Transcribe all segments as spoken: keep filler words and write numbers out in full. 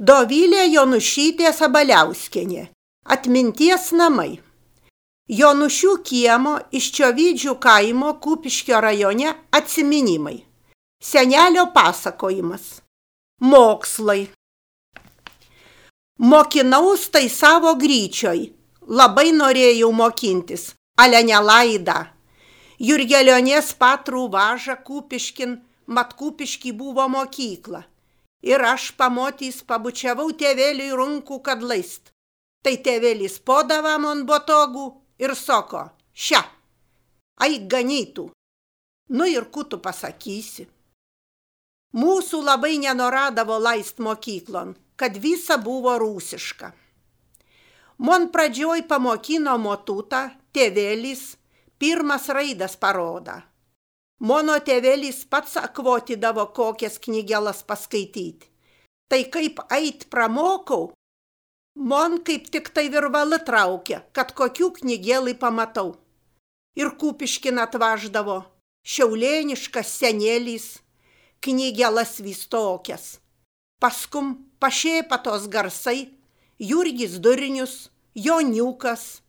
Dovilė Jonušytė Sabaliauskienė. Atminties namai. Jonušių kiemo iš Čiovydžių kaimo Kupiškio rajone atsiminimai. Senelio pasakojimas. Mokslai. Mokinaus tai savo gryčioj. Labai norėjau mokintis, ale nelaida. Jurgelionės patrų važa Kupiškin, mat Kupiški buvo mokykla. Ir aš pamotys pabučiavau tėveliui runkų, kad laist. Tai tėvelis podava man botogų ir soko, šia, aik ganytų. Nu ir ku tu pasakysi. Mūsų labai nenoradavo laist mokyklon, kad visa buvo rūsiška. Mon pradžioj pamokino motutą, tėvelis, pirmas raidas paroda. Mono tėvelis pats akvotydavo kokias knygelas paskaityti. Tai kaip eit pramokau, mon kaip tik tai virvalą traukia, kad kokių knygelai pamatau. Ir Kupiškin atvaždavo šiaulėniškas senėlis, knygelas vis tokias. Paskum pašėpa tos garsai, Jurgis Durnius, Joniukas.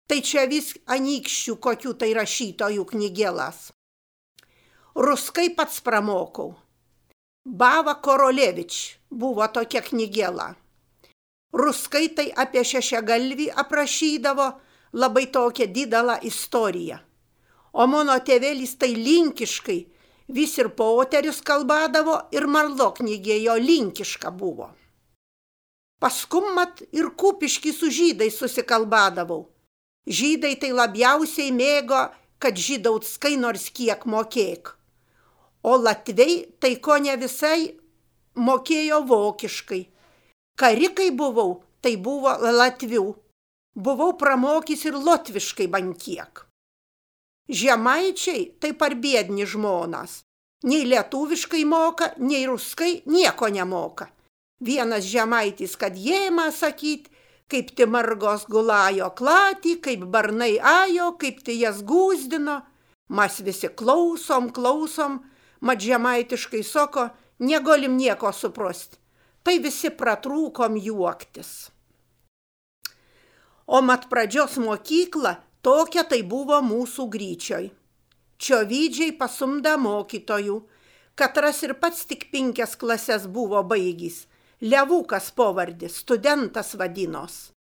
Tai čia vis anykščių kokių tai rašytojų knygelas. Ruskai pats pramokau. Bava Korolevič buvo tokia knygela. Ruskai tai apie šešiagalvį aprašydavo labai tokią didelą istoriją. O mano tėvelis tai linkiškai, vis ir poterius kalbadavo ir marlo knygė jo linkiška buvo. Paskum mat ir Kupiškį su žydai susikalbadavau. Žydai tai labiausiai mėgo, kad žydautskai nors kiek mokėk. O latviai tai ko ne visai mokėjo vokiškai. Karikai buvau, tai buvo latvių. Buvau pramokys ir lotviškai bankiek. Žemaičiai tai parbiedni žmonas. Nei lietuviškai moka, nei ruskai nieko nemoka. Vienas žemaitis, kad jėma sakyt, kaip ti margos gulajo klatį, kaip barnai ajo, kaip ti jas gūzdino. Mas visi klausom, klausom, mat žemaitiškai soko, negolim nieko suprosti. Tai visi pratrūkom juoktis. O mat pradžios mokykla tokia tai buvo mūsų gryčioj. Čiovydžiai pasumda mokytojų, katras ir pats tik penkias klases buvo baigys. Levukas povardis, studentas vadinos.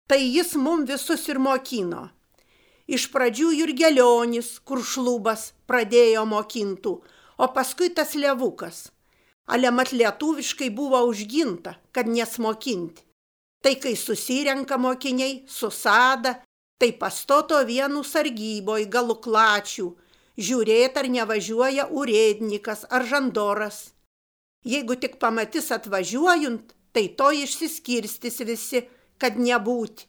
Tai jis mum visus ir mokino. Iš pradžių Jurgelionis, kur šlubas, pradėjo mokintų, o paskui tas Levukas. Ale mat lietuviškai buvo užginta, kad nesmokinti. Tai kai susirenka mokiniai, susada, tai pastoto vienų sargyboj galų klačių, žiūrėt ar nevažiuoja urėdnikas ar žandoras. Jeigu tik pamatys atvažiuojant, tai to išsiskirstis visi, kad nebūti.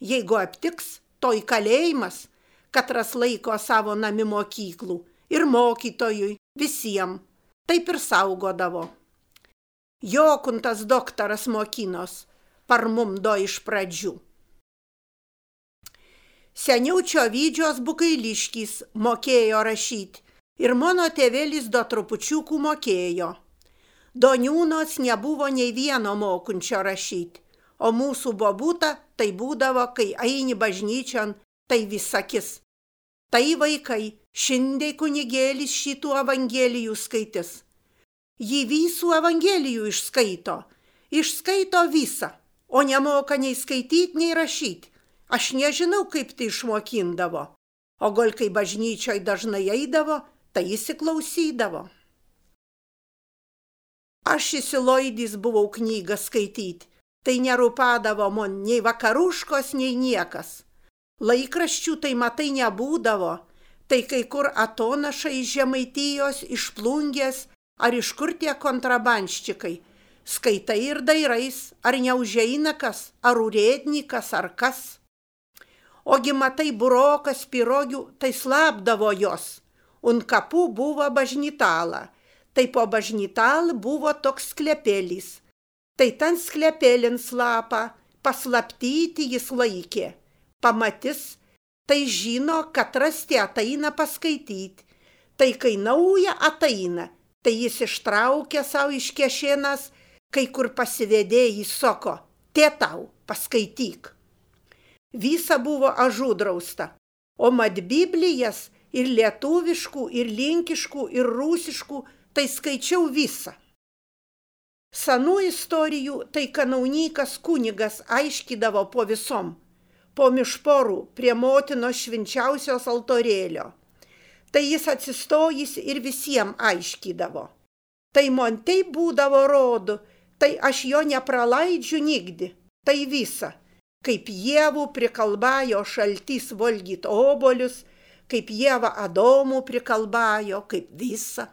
Jeigu aptiks, to į kalėjimas, katras laiko savo nami mokyklų ir mokytojui, visiems, taip ir saugodavo. Jokuntas doktoras mokinos, parmumdo iš pradžių. Seniau Čiovydžios Bukailiškis mokėjo rašyti ir mano tėvelis do trupučiukų mokėjo. Doniūnos nebuvo nei vieno mokunčio rašyti, o mūsų bobuta tai būdavo, kai eini bažnyčion, tai visakis. Tai vaikai, šiandien kunigėlis šitų evangelijų skaitis. Jį visų evangelijų išskaito, išskaito visą, o nemoka nei skaityti, nei rašyti. Aš nežinau, kaip tai išmokindavo, o gal kai bažnyčioj dažnai eidavo, tai įsiklausydavo. Aš įsiloidys buvau knygą skaityti, tai nerūpadavo man nei vakaruškos, nei niekas. Laikraščių tai matai nebūdavo, tai kai kur atonašai iš Žemaitijos, iš Plungės, ar iš kur tie kontrabanščikai. Skaitai ir dairais, ar neužeina kas, ar urėdnikas, ar kas. Ogi matai burokas, pirogių, tai slapdavo jos, un kapų buvo bažnytala. Tai po bažnytal buvo toks sklepėlis. Tai ten sklepėlin slapą, paslaptyti jis laikė. Pamatys, tai žino, kad rasti ateina paskaityti. Tai kai nauja ateina, tai jis ištraukia savo iš kešėnas kai kur pasivedėjai sako, te tau, paskaityk. Visa buvo ažudrausta, o mat Biblijas ir lietuviškų, ir linkiškų, ir rusiškų, tai skaičiau visą. Senų istorijų tai kanaunykas kunigas aiškydavo po visom, po mišporų prie motinos švenčiausios altorėlio. Tai jis atsistojęs ir visiems aiškydavo. Tai man taip būdavo rodo, tai aš jo nepralaidžiu nigdi, tai visa, kaip Jėvų prikalbajo šaltys valgyt obolius, kaip Jėva Adomų prikalbajo, kaip visa.